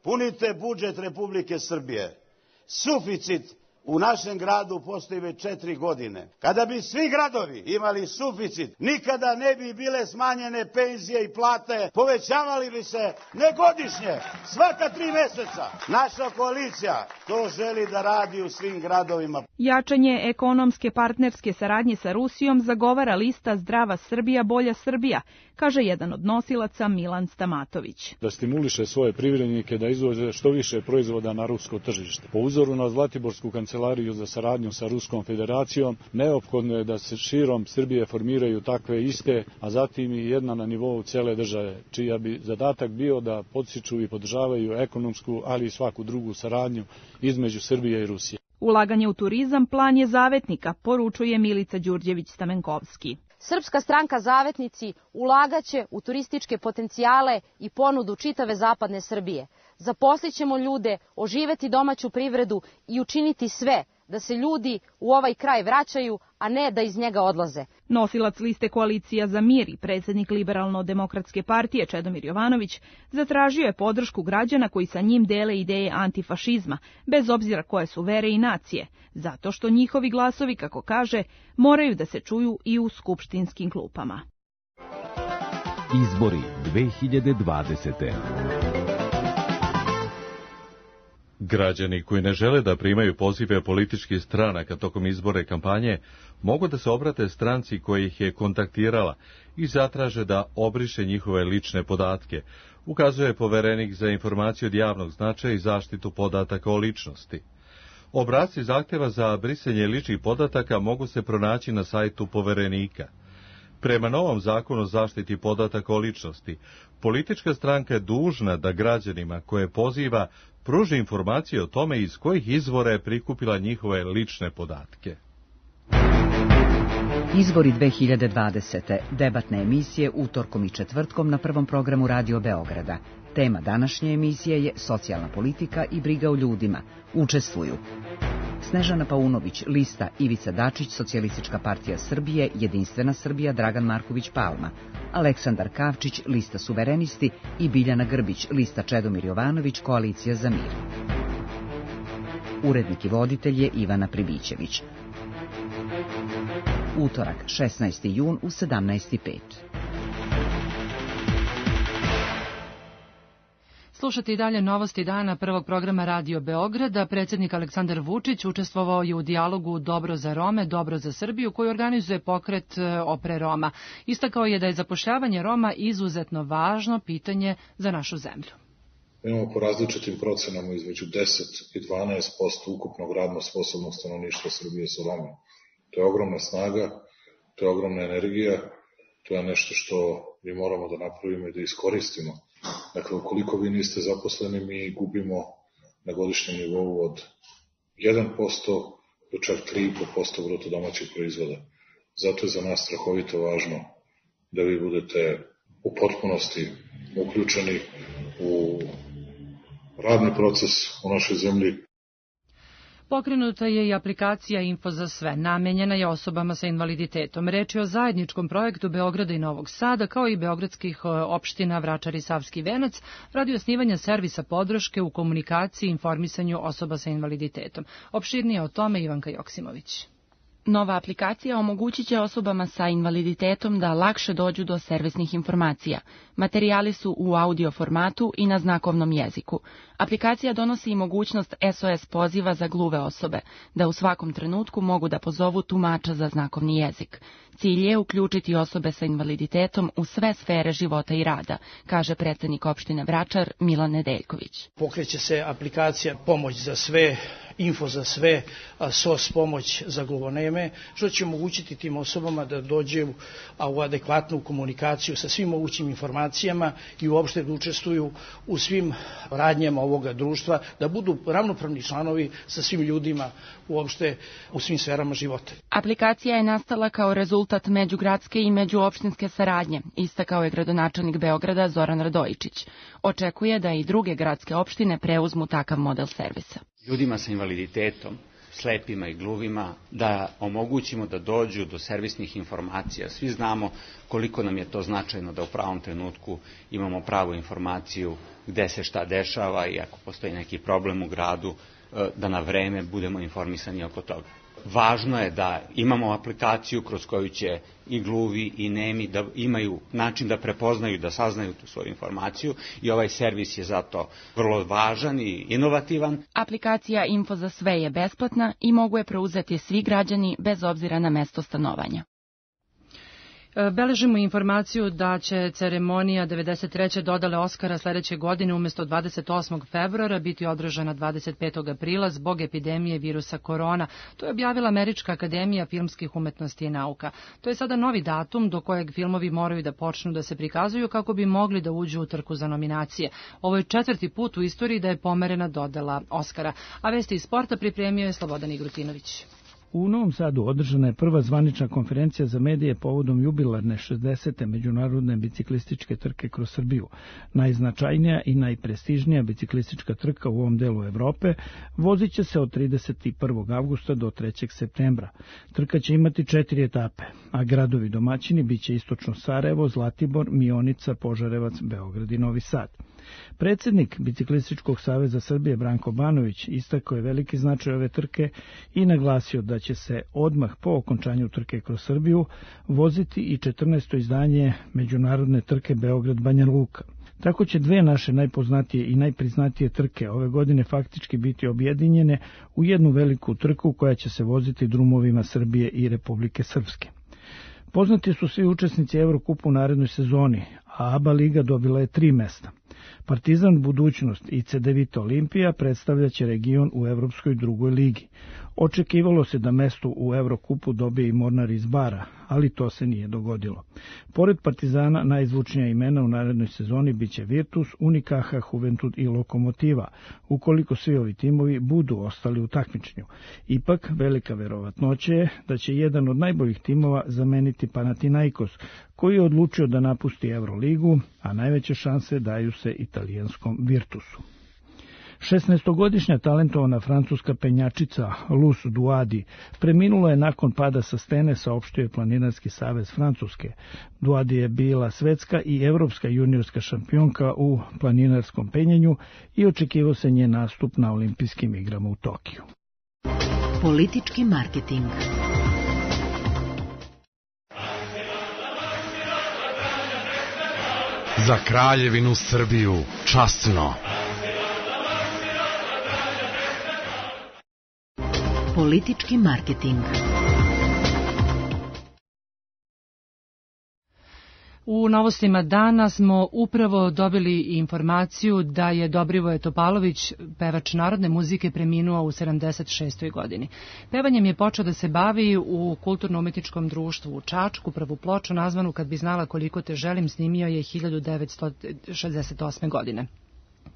punite budžet Republike Srbije. Suficit u našem gradu postoji već četiri godine. Kada bi svi gradovi imali suficit, nikada ne bi bile smanjene penzije i plate, povećavali bi se ne godišnje, svaka tri mjeseca. Naša koalicija to želi da radi u svim gradovima. Jačanje ekonomske partnerske saradnje sa Rusijom zagovara lista Zdrava Srbija, bolja Srbija, kaže jedan od nosilaca Milan Stamatović. Da stimuliše svoje privrednike da izvoze što više proizvoda na rusko tržište. Po uzoru na Zlatiborsku kancelariju za saradnju sa Ruskom federacijom, neophodno je da se širom Srbije formiraju takve iste, a zatim i jedna na nivou cele države, čija bi zadatak bio da podstiču i podržavaju ekonomsku, ali i svaku drugu saradnju između Srbije i Rusije. Ulaganje u turizam plan je zavetnika, poručuje Milica Đurđević-Stamenkovski. Srpska stranka Zavetnici ulagaće u turističke potencijale i ponudu čitave zapadne Srbije. Zaposlićemo ljude, oživeti domaću privredu i učiniti sve da se ljudi u ovaj kraj vraćaju, a ne da iz njega odlaze. Nosilac liste Koalicija za mir i predsjednik Liberalno-demokratske partije Čedomir Jovanović zatražio je podršku građana koji sa njim dele ideje antifašizma, bez obzira koje su vere i nacije, zato što njihovi glasovi, kako kaže, moraju da se čuju i u skupštinskim klupama. Izbori dve hiljade dvadesete. Građani koji ne žele da primaju pozive političkih stranaka tokom izbore kampanje mogu da se obrate stranci koja ih je kontaktirala i zatraže da obriše njihove lične podatke, ukazuje poverenik za informaciju od javnog značaja i zaštitu podataka o ličnosti. Obrasci zahtjeva za brisanje ličnih podataka mogu se pronaći na sajtu poverenika. Prema novom zakonu o zaštiti podataka o ličnosti, politička stranka je dužna da građanima koje poziva pruži informacije o tome iz kojih izvora je prikupila njihove lične podatke. Izbori dve hiljade dvadesete. Debatne emisije utorkom i četvrtkom na prvom programu Radio Beograda. Tema današnje emisije je socijalna politika i briga o ljudima. Učestvuju Snežana Paunović, lista Ivica Dačić, Socijalistička partija Srbije, Jedinstvena Srbija, Dragan Marković Palma, Aleksandar Kavčić, lista Suverenisti i Biljana Grbić, lista Čedomir Jovanović, Koalicija za mir. Urednik i voditelj je Ivana Pribićević. Utorak, šesnaesti jun u sedamnaest i pet. Slušate i dalje novosti dana prvog programa Radio Beograda. Predsjednik Aleksandar Vučić učestvovao je u dijalogu Dobro za Rome, Dobro za Srbiju, koji organizuje pokret Opre Roma. Istakao je da je zapošljavanje Roma izuzetno važno pitanje za našu zemlju. Imamo po različitim procenama između deset i dvanaest posto ukupnog radno sposobnog stanovništva Srbije sa Roma. To je ogromna snaga, to je ogromna energija, to je nešto što mi moramo da napravimo i da iskoristimo. Dakle, ukoliko vi niste zaposleni, mi gubimo na godišnjem nivou od jedan posto do čak tri i pet posto bruto domaćeg proizvoda. Zato je za nas strahovito važno da vi budete u potpunosti uključeni u radni proces u našoj zemlji. Pokrenuta je i aplikacija Info za sve, namenjena je osobama sa invaliditetom. Reč je o zajedničkom projektu Beograda i Novog Sada, kao i beogradskih opština Vračar i Savski Venac, radi osnivanja servisa podrške u komunikaciji i informisanju osoba sa invaliditetom. Opširnije o tome Ivanka Joksimović. Nova aplikacija omogućit će osobama sa invaliditetom da lakše dođu do servisnih informacija. Materijali su u audio formatu i na znakovnom jeziku. Aplikacija donosi i mogućnost S O S poziva za gluve osobe, da u svakom trenutku mogu da pozovu tumača za znakovni jezik. Cilj je uključiti osobe sa invaliditetom u sve sfere života i rada, kaže predsednik opštine Vračar Milan Nedeljković. Pokreće se aplikacija Pomoć za sve, Info za sve, S O S pomoć za gluvoneme, što će omogućiti tim osobama da dođe u adekvatnu komunikaciju sa svim mogućim informacijama i uopšte da učestvuju u svim radnjama ovoga društva, da budu ravnopravni članovi sa svim ljudima uopšte u svim sferama života. Aplikacija je nastala kao rezultat međugradske i međuopštinske saradnje, istakao je gradonačelnik Beograda Zoran Radojičić. Očekuje da i druge gradske opštine preuzmu takav model servisa. Ljudima sa invaliditetom, slepima i gluvima, da omogućimo da dođu do servisnih informacija. Svi znamo koliko nam je to značajno da u pravom trenutku imamo pravu informaciju gde se šta dešava i ako postoji neki problem u gradu, da na vreme budemo informisani oko toga. Važno je da imamo aplikaciju kroz koju će i gluvi i nemi da imaju način da prepoznaju, da saznaju tu svoju informaciju i ovaj servis je zato vrlo važan i inovativan. Aplikacija Info za sve je besplatna i mogu je preuzeti svi građani bez obzira na mesto stanovanja. Beležimo informaciju da će ceremonija devedeset treće dodale Oskara sledeće godine umesto dvadeset osmog februara biti održana dvadeset petog aprila zbog epidemije virusa korona. To je objavila Američka akademija filmskih umetnosti i nauka. To je sada novi datum do kojeg filmovi moraju da počnu da se prikazuju kako bi mogli da uđu u trku za nominacije. Ovo je četvrti put u istoriji da je pomerena dodela Oskara. A vesti iz sporta pripremio je Slobodan Igrutinović. U Novom Sadu održana je prva zvanična konferencija za medije povodom jubilarne šezdesete međunarodne biciklističke trke kroz Srbiju. Najznačajnija i najprestižnija biciklistička trka u ovom delu Evrope vozit će se od trideset prvog avgusta do trećeg septembra. Trka će imati četiri etape, a gradovi domaćini biće istočno Sarajevo, Zlatibor, Mionica, Požarevac, Beograd i Novi Sad. Predsednik Biciklističkog saveza Srbije Branko Banović istakao je veliki značaj ove trke i naglasio da će se odmah po okončanju trke kroz Srbiju voziti i četrnaesto izdanje međunarodne trke Beograd-Banja Luka. Tako će dve naše najpoznatije i najpriznatije trke ove godine faktički biti objedinjene u jednu veliku trku koja će se voziti drumovima Srbije i Republike Srpske. Poznati su svi učesnici Evrokupa u narednoj sezoni, a ABA liga dobila je tri mesta. Partizan, Budućnost i Cedevita Olimpija predstavljaće region u Evropskoj drugoj ligi. Očekivalo se da mesto u Evrokupu dobije i Mornar iz Bara, ali to se nije dogodilo. Pored Partizana, najzvučnija imena u narednoj sezoni biće Virtus, Unicaja, Juventud i Lokomotiva, ukoliko svi ovi timovi budu ostali u takmičenju. Ipak, velika verovatnoća je da će jedan od najboljih timova zameniti Panathinaikos, koji je odlučio da napusti Euroligu, a najveće šanse daju se italijanskom Virtusu. šesnaestogodišnja talentovana francuska penjačica Luz Duadi preminula je nakon pada sa stene, saopštio je Planinarski savez Francuske. Duadi je bila svetska i evropska juniorska šampionka u planinarskom penjanju i očekivao se njen nastup na olimpijskim igrama u Tokiju. Politički marketing. Za Kraljevinu Srbiju, časno. Politički marketing. U novostima dana smo upravo dobili informaciju da je Dobrivoje Topalović, pevač narodne muzike, preminuo u sedamdeset šestoj godini. Pevanjem je počeo da se bavi u kulturno-umetničkom društvu u Čačku. Prvu ploču, nazvanu Kad bi znala koliko te želim, snimio je hiljadu devetsto šezdeset osme godine.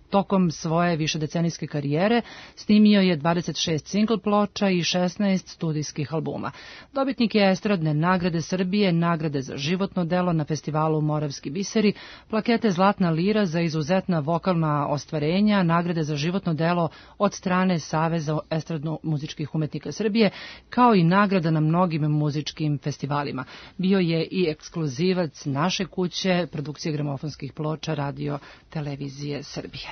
Tokom svoje višedecenijske karijere snimio je dvadeset šest singl ploča i šesnaest studijskih albuma. Dobitnik je estradne nagrade Srbije, nagrade za životno delo na festivalu Moravski biseri, plakete Zlatna lira za izuzetna vokalna ostvarenja, nagrade za životno delo od strane Saveza estradno-muzičkih umetnika Srbije, kao i nagrada na mnogim muzičkim festivalima. Bio je i ekskluzivac naše kuće, produkcije gramofonskih ploča Radio Televizije Srbije.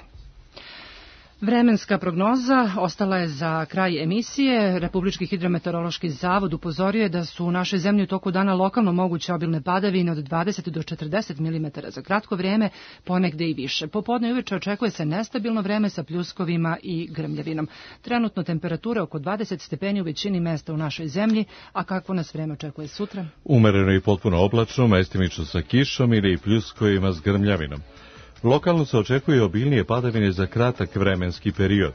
Vremenska prognoza ostala je za kraj emisije. Republički hidrometeorološki zavod upozorio je da su u našoj zemlji u toku dana lokalno moguće obilne padavine od dvadeset do četrdeset milimetara za kratko vrijeme, ponegde i više. Popodne i uveče očekuje se nestabilno vreme sa pljuskovima i grmljavinom. Trenutno temperatura oko dvadeset stepeni u većini mesta u našoj zemlji, a kakvo nas vreme očekuje sutra? Umereno i potpuno oblačno, mestimično sa kišom ili pljuskovima s grmljavinom. Lokalno se očekuje obilnije padavine za kratak vremenski period.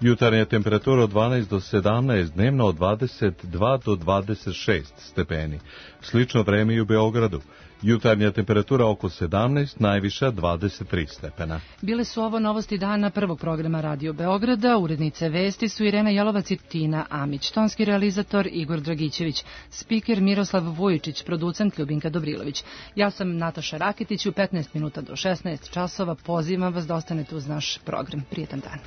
Jutarnja temperatura od dvanaest do sedamnaest, dnevno od dvadeset dva do dvadeset šest stepeni. Slično vreme i u Beogradu. Jutarnja temperatura oko sedamnaest, najviša dvadeset tri stepena. Bile su ovo novosti dana prvog programa Radio Beograda. Urednice vesti su Irena Jelovac i Tina Amić. Tonski realizator Igor Dragićević. Spiker Miroslav Vujičić. Producent Ljubinka Dobrilović. Ja sam Nataša Rakitić. U petnaest minuta do šesnaest časova pozivam vas da ostanete uz naš program. Prijetan dan.